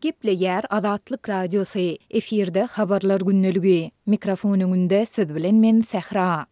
Gepleýär Azatlyk Radiosy, efirde Habarlar gündeligi. Mikrofon öňünde siz bilen men Sähra.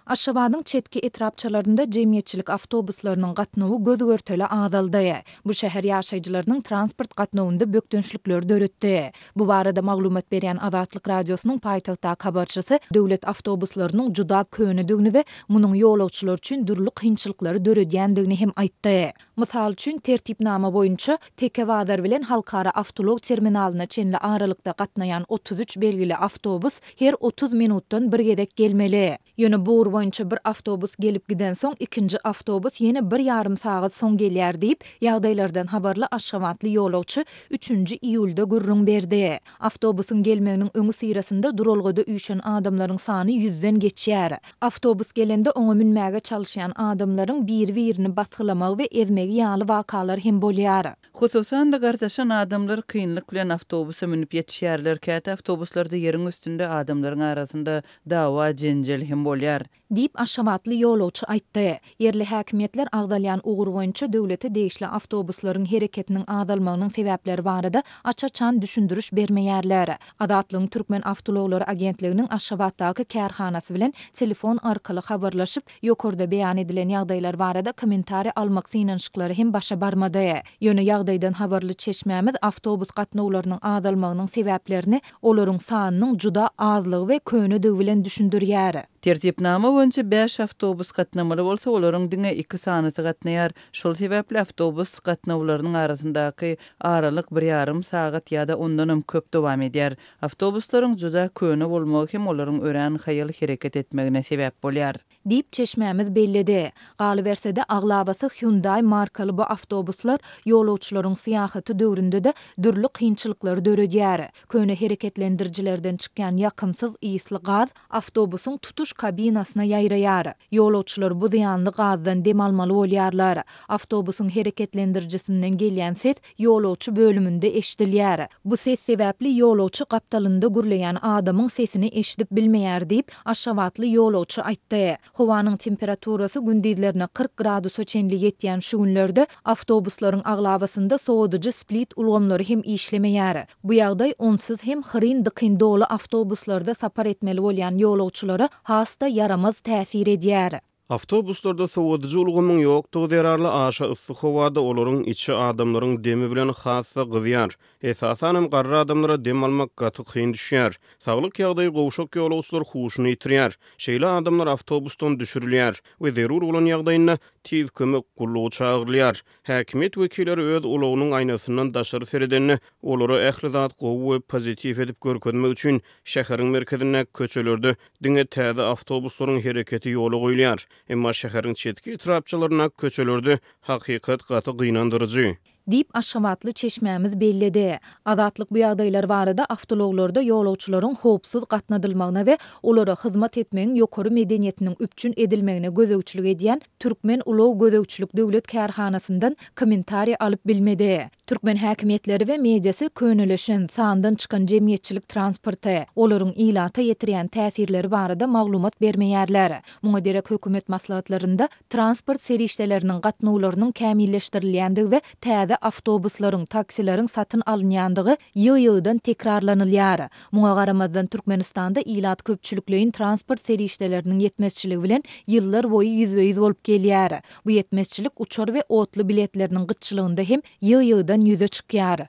Aşgabadyň çetki etrapçalarynda jemgyýetçilik awtobuslarynyň gatnawy göz-görtele azaldy. Bu şäher ýaşaýjylarynyň transport gatnawynda bökdençlikleri döretdi. Bu barada maglumat berýän Azatlyk Radiosynyň paýtagtdaky habarçysy döwlet awtobuslarynyň juda könedigini we munuň ýolagçylar üçin dürli kynçylyklary döredýändigini hem aýtdy. Mysal üçin, tertipnama boýunça, Teke bazar bilen Halkara awtoulag terminalyna çenli aralykda gatnaýan 33 belgili awtobus her 30 minutdan bir gezek gelmeli. Ýöne bu ugur boýunça bir awtobus gelip gidensoň, ikinji awtobus ýene bir ýarym sagat soň gelýär diýip, ýagdaýlardan habarly aşgabatly ýolagçy üçünji iýulda gürrüň berdi. Awtobusyň gelmeginiň öňüsyrasynda duralgada üýşen adamlaryň sany ýüzden geçýär. Awtobus gelende oňa münmäge çalyşýan adamlaryň biri-birini basgylamagy we ezmegi ýaly wakalar hem bolýar. Hususan-da, gartaşan adamlar kynlyk bilen awtobusa münüp ýetişýärler. Käte awtobuslarda ýeriň üstünde adamlaryň arasynda dawa-jenjel hem bolýar. Diýip, aşgabatly ýolagçy aýtdy. Ýerli häkimiýetler agzalýan ugur boýunça döwlete degişli awtobuslaryň hereketiniň azalmagynyň sebäpleri barada aç-açan düşündiriş bermeýärler. Azatlygyň Türkmen awtoulaglary agentliginiň Aşgabatdaky kärhanasy bilen telefon arkaly habarlaşyp, ýokarda beýan edilen ýagdaýlar barada kommentariý almak synanyşyklary hem başa barmady. Ýöne ýagdaýdan habarly çeşmämiz awtobus gatnawlarynyň azalmagynyň sebäplerini olaryň sanynyň juda azlygy we könedigi bilen düşündirýär. Tertipnama boýunça bäş awtobus gatnamaly bolsa, olaryň diňe iki sanysy gatnaýar. Şol sebäpli awtobus gatnawlarynyň arasyndaky aralyk bir ýarym sagat ýa-da ondanam köp dowam edýär. Awtobuslaryň juda köne bolmagy hem olaryň örän haýal hereket etmegine sebäp bolýar. Diýip, çeşmämiz belledi. Galyberse-de, aglabasy Hyundai markaly bu awtobuslar ýolagçylaryň syýahaty döwründe-de dürli kynçylyklary döredýär. Köne hereketlendirijilerden çykýan ýakymsyz ysly gaz awtobusyň tutuş kabinasyna ýaýraýar. Ýolagçylar bu zyýanly gazdan dem almaly bolýarlar. Awtobusyň hereketlendirijisinden gelýän ses ýolagçy bölüminde eşidilýär. Bu ses sebäpli ýolagçy gapdalynda gürleýän adamyň sesini eşidip bilmeýär diýip, aşgabatly ýolagçy aýtdy. Howanyň temperaturasy gündizlerine 40 gradusa çenli ýetýän şu günlerde awtobuslaryň aglabasynda sowadyjy split ulgamlary hem işlemeýär. Bu ýagdaý onsuz hem hyryn-dykyn doly awtobuslarda sapar etmeli bolýan ýolagçylara has-da ýaramaz täsir edýär. Awtobuslarda sowadyjy ulgamyň ýokdugy zerarly aşa yssy howada olaryň içi adamlaryň demi bilen has-da gyzýar. Esasanam garry adamlara dem almak gaty kyn düşýär. Saglyk ýagdaýy gowşak ýolagçylar huşuny ýitirýär. Şeýle adamlar awtobusdan düşürilýär we zerur bolan ýagdaýynda Tiz kömek gullugy çagyrylýar. Häkimiýet wekilleri öz ulagynyň aýnasyndan daşary seredende, olara ähli zat gowy we pozitiw edip görkezmek üçin şäheriň merkezindäki köçelerde diňe täze awtobuslaryň hereketi ýola goýulýar. Emma şäheriň çetki etrapçalaryndaky köçelerde hakykat gaty gynandyryjy. Diýip, aşgabatly çeşmämiz belledi. Azatlyk bu ýagdaýlar barada awtoulaglarda ýolagçylaryň howpsuz gatnadylmagyna we olara hyzmat etmegiň ýokary medeniýetiniň üpjün edilmegine gözegçilik edýän Türkmen ulag gözegçilik döwlet kärhanasyndan kommentariý alyp bilmedi. Türkmen häkimiýetleri we mediasy könelişen, sandan çykan jemgyýetçilik transporty, olaryň ilata ýetirýän täsirleri barada maglumat bermeýärler. Muňa derek hökümet maslahatlarynda transport serişdeleriniň gatnawlarynyň kämilleşdirilýändigi we täze awtobuslaryň, taksileriň satyn alynýandygy ýygy-ýygydan tekrarlanylýar. Muňa garamazdan, Türkmenistanda ilat köpçülikleýin transport serişdeleriniň ýetmezçiligi bilen ýyllar boýy ýüzbe-ýüz bolup gelýär. Bu ýetmezçilik uçar we otly biletleriniň gytçylygynda hem ýygy-ýygydan ýüze çykýar.